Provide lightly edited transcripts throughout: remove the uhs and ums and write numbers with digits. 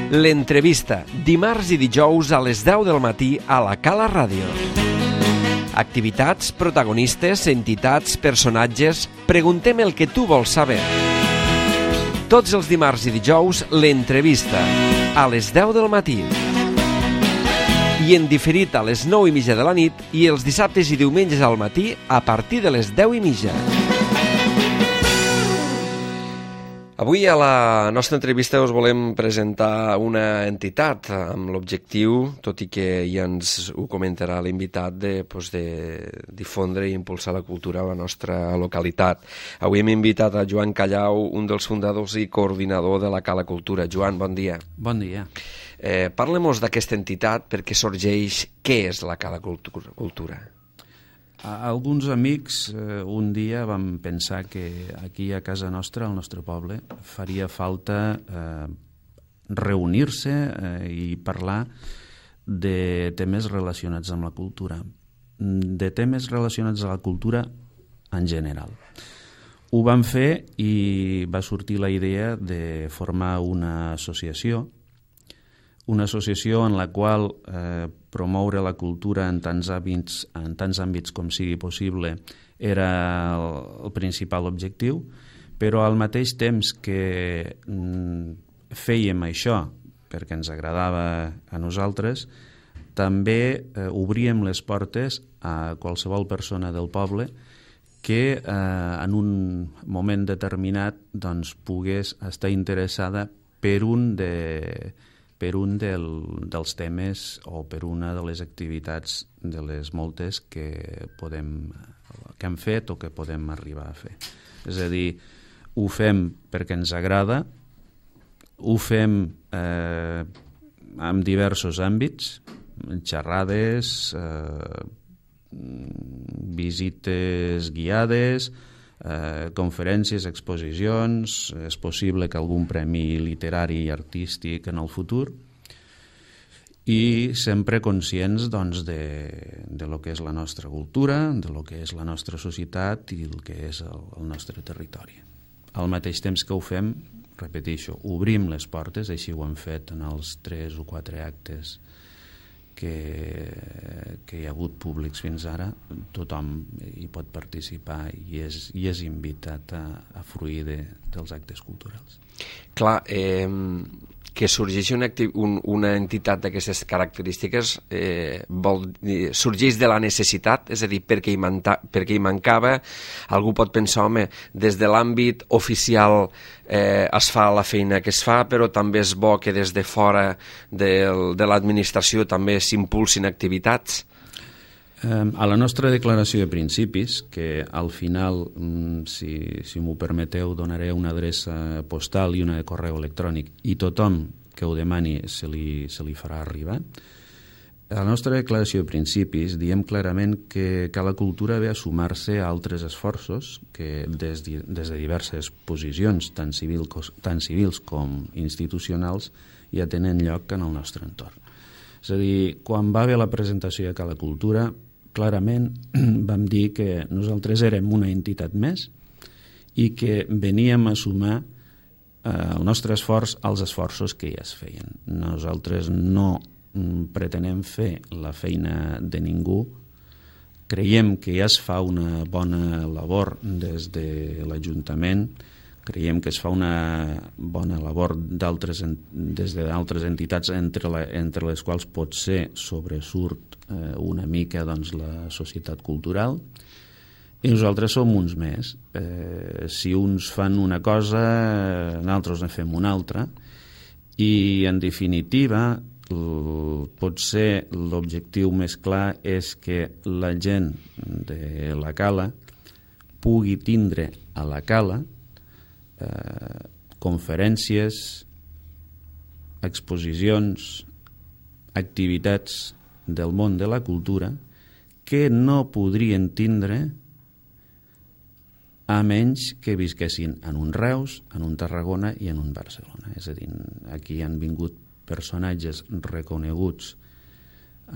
L'entrevista, dimarts i dijous a les 10 del matí a la Cala Ràdio. Activitats, protagonistes, entitats, personatges... Preguntem el que tu vols saber. Tots els dimarts i dijous, l'entrevista, a les 10 del matí. I en diferit a les 9:30 de la nit i els dissabtes i diumenges al matí a partir de les 10:30. Avui a la nostra entrevista us volem presentar una entitat amb l'objectiu, tot i que ja ens ho comentarà l'invitat, de difondre i impulsar la cultura a la nostra localitat. Avui hem invitat a Joan Callau, un dels fundadors i coordinador de la Cala Cultura. Joan, bon dia. Bon dia. Parlem-nos d'aquesta entitat, perquè sorgeix què és la Cala Cultura. Alguns amics un dia vam pensar que aquí a casa nostra, al nostre poble, faria falta reunir-se i parlar de temes relacionats amb la cultura, de temes relacionats amb la cultura en general. Ho vam fer i va sortir la idea de formar una associació en la qual promoure la cultura en tants àmbits com sigui possible era el principal objectiu, però al mateix temps que fèiem això perquè ens agradava a nosaltres, també obríem les portes a qualsevol persona del poble que en un moment determinat pogués estar interessada per un dels temes o per una de les activitats de les moltes que hem fet o que podem arribar a fer. És a dir, ho fem perquè ens agrada, ho fem en diversos àmbits, xerrades, visites guiades, conferències, exposicions, és possible que algun premi literari i artístic en el futur, i sempre conscients de lo que és la nostra cultura, de lo que és la nostra societat i el que és el nostre territori. Al mateix temps que ho fem, repeteixo, obrim les portes, així ho hem fet en els 3 o 4 actes que hi ha hagut públics fins ara. Tothom hi pot participar i és invitat a fruir dels actes culturals. Clar, que sorgeixi una entitat d'aquestes característiques sorgeix de la necessitat, és a dir, perquè hi mancava. Algú pot pensar, home, des de l'àmbit oficial es fa la feina que es fa, però també és bo que des de fora de l'administració també s'impulsin activitats. A la nostra declaració de principis, que al final, si m'ho permeteu, donaré una adreça postal i una de correu electrònic, i tothom que ho demani se li farà arribar. A la nostra declaració de principis diem clarament que la cultura ve a sumar-se a altres esforços que des de diverses posicions, tant civils com institucionals, ja tenen lloc en el nostre entorn. És a dir, quan va haver la presentació de Cala Cultura, clarament vam dir que nosaltres érem una entitat més i que veníem a sumar el nostre esforç als esforços que ja es feien. Nosaltres no pretenem fer la feina de ningú. Creiem que ja es fa una bona labor des de l'Ajuntament, creiem que es fa una bona labor des d'altres entitats, entre les quals potser sobresurt una mica la societat cultural, i nosaltres som uns més. Si uns fan una cosa, nosaltres en fem una altra, i en definitiva potser l'objectiu més clar és que la gent de la Cala pugui tindre a la Cala conferències, exposicions, activitats del món de la cultura que no podrien tindre a menys que visquessin en un Reus, en un Tarragona i en un Barcelona. És a dir, aquí han vingut personatges reconeguts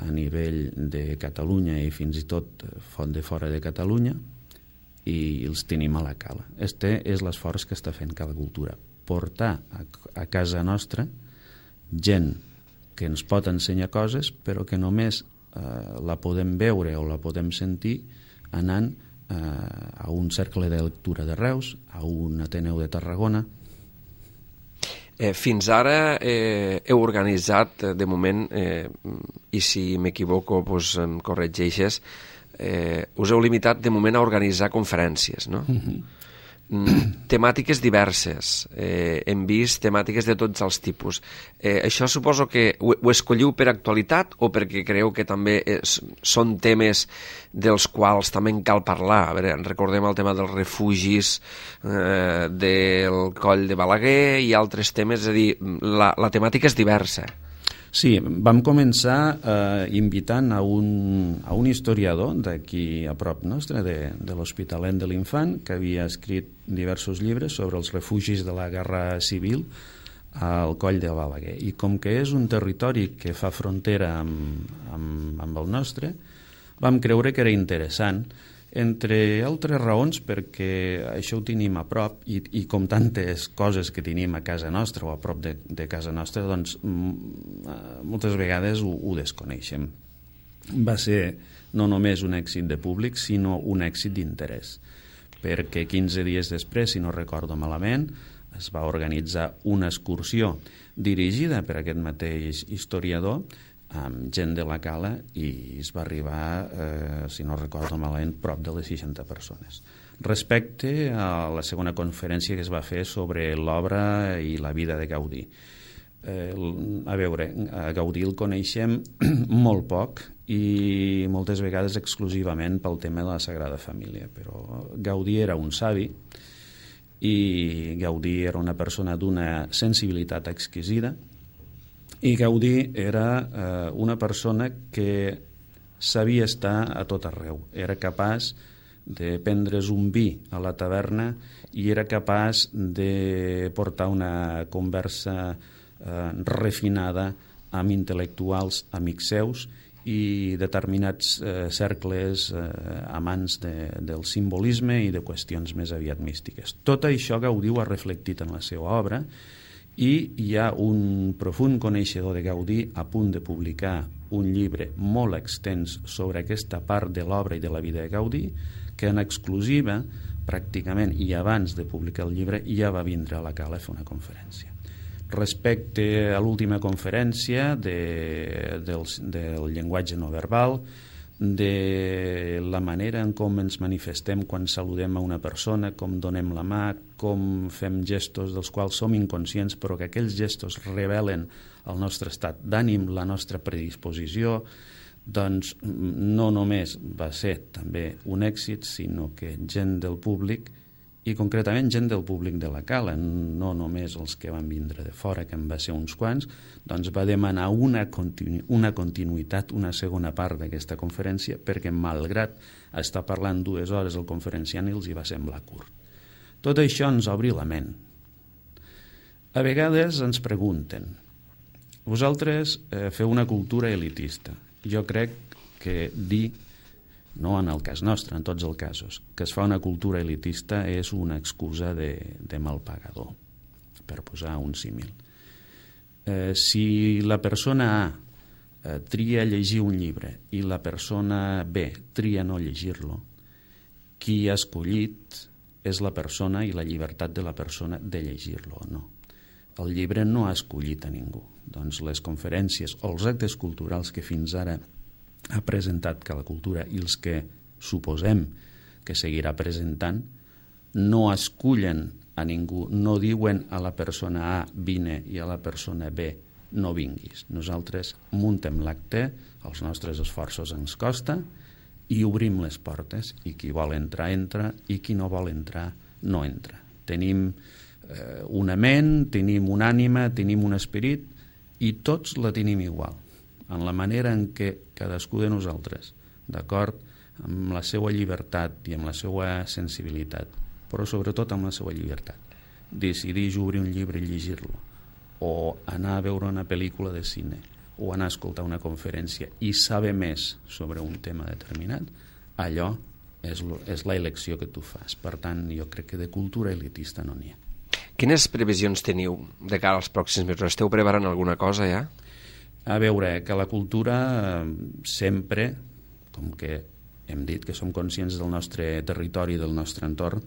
a nivell de Catalunya i fins i tot de fora de Catalunya, i els tenim a la Cala. Este és l'esforç que està fent Cala Cultura, portar a casa nostra gent que ens pot ensenyar coses, però que només la podem veure o la podem sentir anant a un cercle de lectura de Reus, a un Ateneu de Tarragona. Fins ara heu organitzat, de moment, i si m'equivoco em corregeixes, us heu limitat de moment a organitzar conferències, no? Temàtiques diverses, hem vist temàtiques de tots els tipus. Això suposo que ho escolliu per actualitat o perquè creieu que també són temes dels quals també en cal parlar? A veure, recordem el tema dels refugis del Coll de Balaguer i altres temes, és a dir, la temàtica és diversa. Sí, vam començar invitant a un historiador d'aquí a prop nostre, de l'Hospitalet de l'Infant, que havia escrit diversos llibres sobre els refugis de la Guerra Civil al Coll de Balaguer. I com que és un territori que fa frontera amb el nostre, vam creure que era interessant, entre altres raons perquè això ho tenim a prop i com tantes coses que tenim a casa nostra o a prop de casa nostra, doncs moltes vegades ho desconeixem. Va ser no només un èxit de públic, sinó un èxit d'interès, perquè 15 dies després, si no recordo malament, es va organitzar una excursió dirigida per aquest mateix historiador amb gent de la Cala i es va arribar, si no recordo malament, prop de les 60 persones. Respecte a la segona conferència que es va fer sobre l'obra i la vida de Gaudí. A veure, a Gaudí el coneixem molt poc i moltes vegades exclusivament pel tema de la Sagrada Família, però Gaudí era un savi i Gaudí era una persona d'una sensibilitat exquisida. I Gaudí era una persona que sabia estar a tot arreu. Era capaç de prendre's un vi a la taverna i era capaç de portar una conversa refinada amb intel·lectuals amics seus i determinats cercles amants del simbolisme i de qüestions més aviat místiques. Tot això Gaudí ho ha reflectit en la seva obra i hi ha un profund coneixedor de Gaudí a punt de publicar un llibre molt extens sobre aquesta part de l'obra i de la vida de Gaudí, que en exclusiva, pràcticament, i abans de publicar el llibre, ja va vindre a la Cala a fer una conferència. Respecte a l'última conferència del llenguatge no verbal, de la manera en com ens manifestem quan saludem a una persona, com donem la mà, com fem gestos dels quals som inconscients, però que aquells gestos revelen el nostre estat d'ànim, la nostra predisposició, doncs no només va ser també un èxit, sinó que gent del públic, i concretament gent del públic de la Cala, no només els que van vindre de fora, que en va ser uns quants, doncs va demanar una continuïtat, una segona part d'aquesta conferència, perquè malgrat estar parlant 2 hores el conferenciant els hi va semblar curt. Tot això ens obri la ment. A vegades ens pregunten, vosaltres feu una cultura elitista. Jo crec que dir, no en el cas nostre, en tots els casos, que es fa una cultura elitista és una excusa de mal pagador, per posar un símil. Si la persona A tria llegir un llibre i la persona B tria no llegir-lo, qui ha escollit és la persona i la llibertat de la persona de llegir-lo o no. El llibre no ha escollit a ningú. Doncs les conferències o els actes culturals que fins ara ha presentat que la cultura i els que suposem que seguirà presentant no escullen a ningú, no diuen a la persona A vine i a la persona B no vinguis. Nosaltres muntem l'acte, els nostres esforços ens costa i obrim les portes i qui vol entrar entra i qui no vol entrar no entra. Tenim una ment, tenim una ànima, tenim un esperit i tots la tenim igual, en la manera en què cadascú de nosaltres, d'acord amb la seva llibertat i amb la seva sensibilitat, però sobretot amb la seva llibertat, decideix obrir un llibre i llegir-lo, o anar a veure una pel·lícula de cine, o anar a escoltar una conferència i saber més sobre un tema determinat, allò és l'elecció que tu fas. Per tant, jo crec que de cultura elitista no n'hi ha. Quines previsions teniu de cara als pròxims mesos? Esteu preparant alguna cosa ja? A veure, que la cultura sempre, com que hem dit que som conscients del nostre territori i del nostre entorn,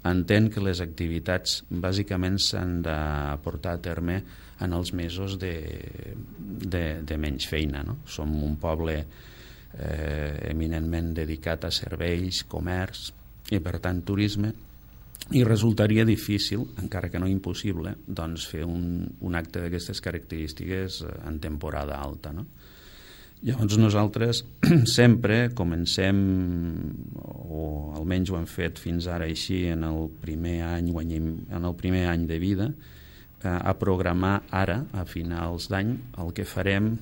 entén que les activitats bàsicament s'han de portar a terme en els mesos de menys feina, no? Som un poble eminentment dedicat a serveis, comerç i per tant turisme, i resultaria difícil, encara que no impossible, doncs fer un acte d'aquestes característiques en temporada alta, no? Llavors nosaltres sempre comencem, o almenys ho hem fet fins ara així en el primer any de vida, a programar ara, a finals d'any, el que farem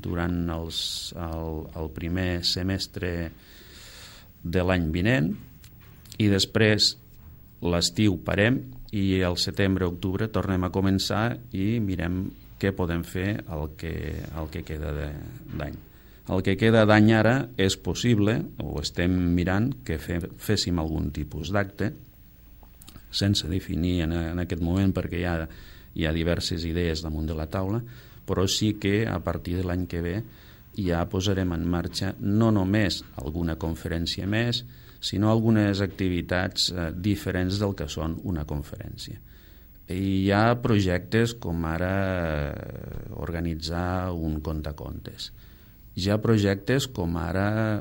durant el primer semestre de l'any vinent, i després l'estiu parem i el setembre-octubre tornem a començar i mirem què podem fer el que queda d'any. El que queda d'any ara és possible, o estem mirant, que féssim algun tipus d'acte, sense definir en aquest moment perquè hi ha diverses idees damunt de la taula, però sí que a partir de l'any que ve ja posarem en marxa no només alguna conferència més, sinó algunes activitats diferents del que són una conferència. Hi ha projectes com ara organitzar un contacontes. Hi ha projectes com ara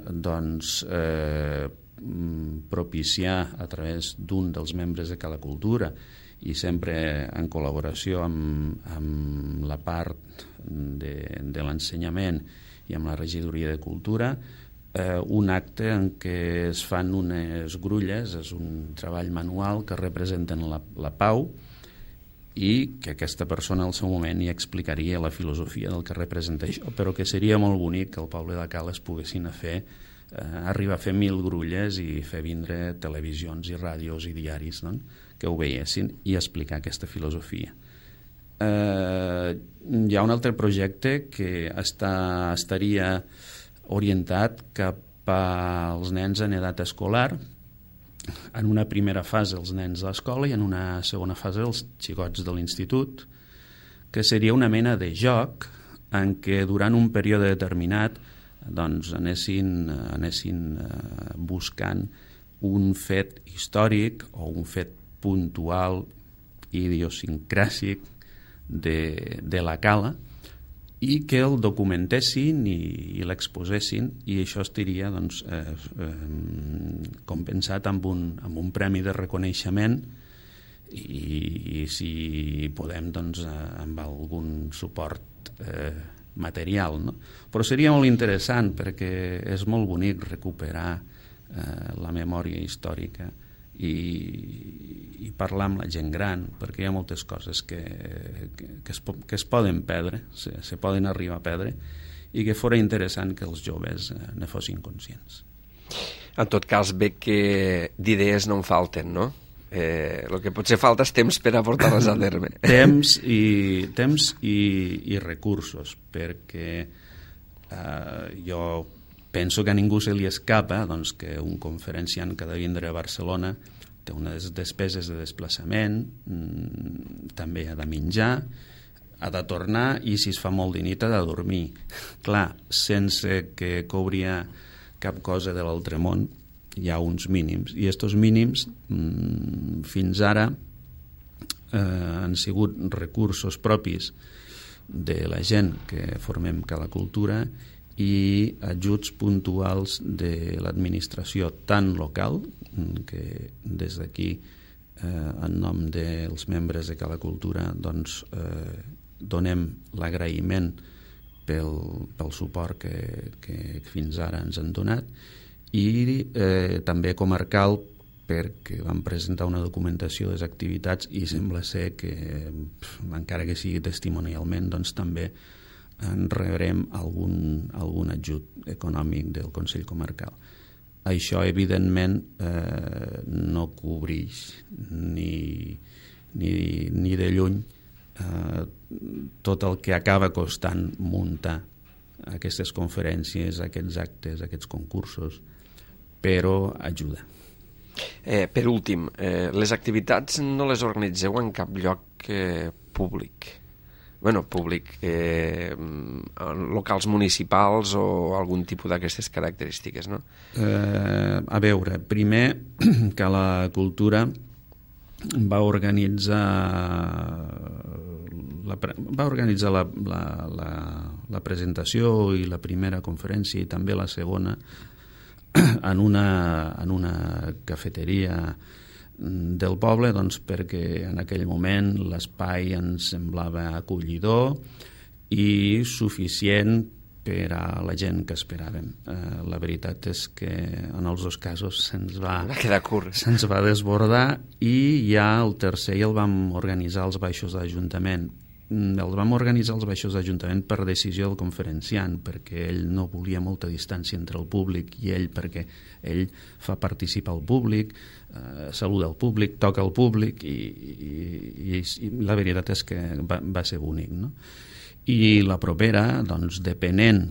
propiciar a través d'un dels membres de Cala Cultura, i sempre en col·laboració amb la part de l'ensenyament i amb la regidoria de cultura, un acte en què es fan unes grulles, és un treball manual que representen la pau, i que aquesta persona al seu moment hi explicaria la filosofia del que representa això, però que seria molt bonic que al poble de Cales poguessin arribar a fer 1.000 grulles i fer vindre televisions i ràdios i diaris, no?, que ho veiessin i explicar aquesta filosofia. Hi ha un altre projecte que estaria orientat cap als nens en edat escolar, en una primera fase els nens de l'escola i en una segona fase els xicots de l'institut, que seria una mena de joc en què durant un període determinat doncs anessin buscant un fet històric o un fet puntual idiosincràsic de la Cala, i que el documentessin i l'exposessin, i això estaria compensat amb un premi de reconeixement i si podem amb algun suport material, no? Però seria molt interessant perquè és molt bonic recuperar la memòria històrica i parlar amb la gent gran, perquè hi ha moltes coses que es poden perdre, se poden arribar a perdre, i que fora interessant que els joves ne fossin conscients. En tot cas, veig que d'idees no en falten, no? El que potser falta és temps per a portar-les a terme. Temps i recursos, perquè jo penso que a ningú se li escapa que un conferenciant que ha de vindre a Barcelona té unes despeses de desplaçament, també ha de menjar, ha de tornar, i si es fa molt de nit ha de dormir. Clar, sense que cobria cap cosa de l'altre món, hi ha uns mínims, i aquests mínims fins ara han sigut recursos propis de la gent que formem Cala Cultura i ajuts puntuals de l'administració tant local, que des d'aquí en nom dels membres de Cala Cultura donem l'agraïment pel suport que fins ara ens han donat, i també comarcal, perquè vam presentar una documentació de les activitats i sembla ser que, encara que sigui testimonialment, també en rebrem algun ajut econòmic del Consell Comarcal. Això, evidentment, no cobreix ni de lluny tot el que acaba costant muntar aquestes conferències, aquests actes, aquests concursos, però ajuda. Per últim, les activitats no les organitzeu en cap lloc públic? Públic, locals municipals o algun tipus d'aquestes característiques, no? A veure, primer que la cultura va organitzar la presentació i la primera conferència i també la segona en una cafeteria del poble, doncs perquè en aquell moment l'espai ens semblava acollidor i suficient per a la gent que esperàvem. La veritat és que en els dos casos se'ns va quedar curt. Se'ns va desbordar i ja el tercer el vam organitzar als baixos de l'Ajuntament. El vam organitzar als baixos de l'Ajuntament per decisió del conferenciant, perquè ell no volia molta distància entre el públic i ell, perquè ell fa participar el públic, saluda el públic, toca el públic i la veritat és que va ser bonic, no? I la propera, doncs, depenent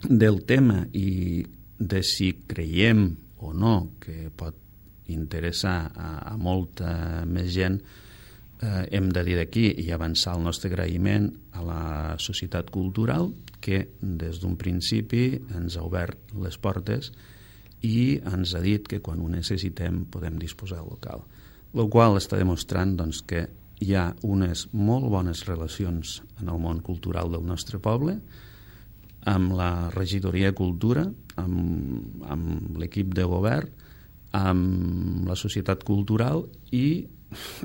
del tema i de si creiem o no que pot interessar a molta més gent, hem de dir d'aquí i avançar el nostre agraïment a la societat cultural que des d'un principi ens ha obert les portes i ens ha dit que quan ho necessitem podem disposar del local. El qual està demostrant doncs, que hi ha unes molt bones relacions en el món cultural del nostre poble, amb la regidoria de Cultura, amb l'equip de govern, amb la societat cultural i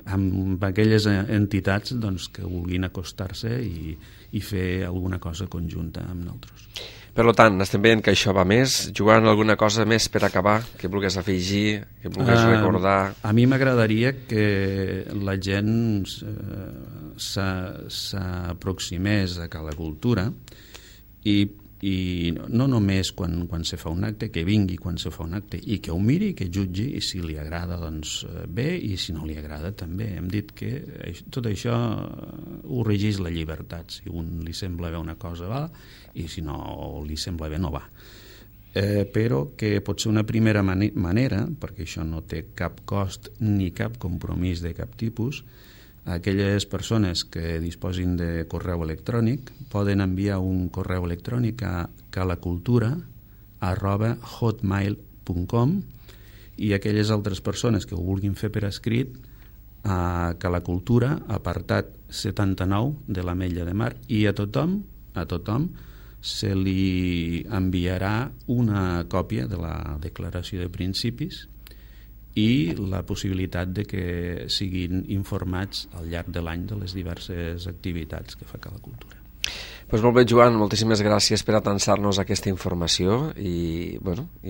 amb aquelles entitats doncs, que vulguin acostar-se i fer alguna cosa conjunta amb nosaltres. Per tant, estem veient que això va més. Joan, alguna cosa més per acabar que vulguis afegir, que vulguis recordar? A mi m'agradaria que la gent s'aproximés a la cultura i no només quan se fa un acte, que vingui quan se fa un acte i que ho miri, que jutgi i si li agrada doncs bé i si no li agrada també. Hem dit que tot això ho regeix la llibertat. Si a un li sembla bé una cosa va i si no li sembla bé no va. Però que pot ser una primera manera, perquè això no té cap cost ni cap compromís de cap tipus, aquelles persones que disposin de correu electrònic poden enviar un correu electrònic a calacultura@hotmail.com i aquelles altres persones que ho vulguin fer per escrit a Calacultura, apartat 79 de l'Ametlla de Mar, i a tothom se li enviarà una còpia de la declaració de principis i la possibilitat de que siguin informats al llarg de l'any de les diverses activitats que fa Calacultura. Pues molt bé, Joan, moltíssimes gràcies per atansar-nos aquesta informació i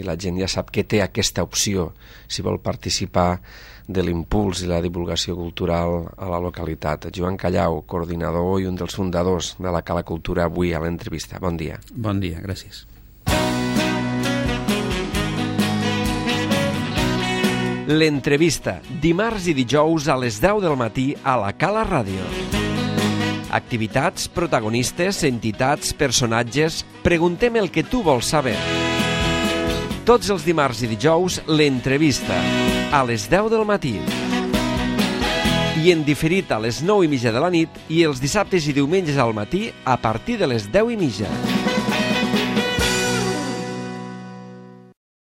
la gent ja sap que té aquesta opció si vol participar de l'impuls i la divulgació cultural a la localitat. Joan Callau, coordinador i un dels fundadors de la Calacultura, avui a l'entrevista. Bon dia. Bon dia, gràcies. L'entrevista, dimarts i dijous a les 10 del matí a la Cala Ràdio. Activitats, protagonistes, entitats, personatges... Preguntem el que tu vols saber. Tots els dimarts i dijous, l'entrevista, a les 10 del matí. I en diferit a les 9:30 de la nit i els dissabtes i diumenges al matí a partir de les 10:30.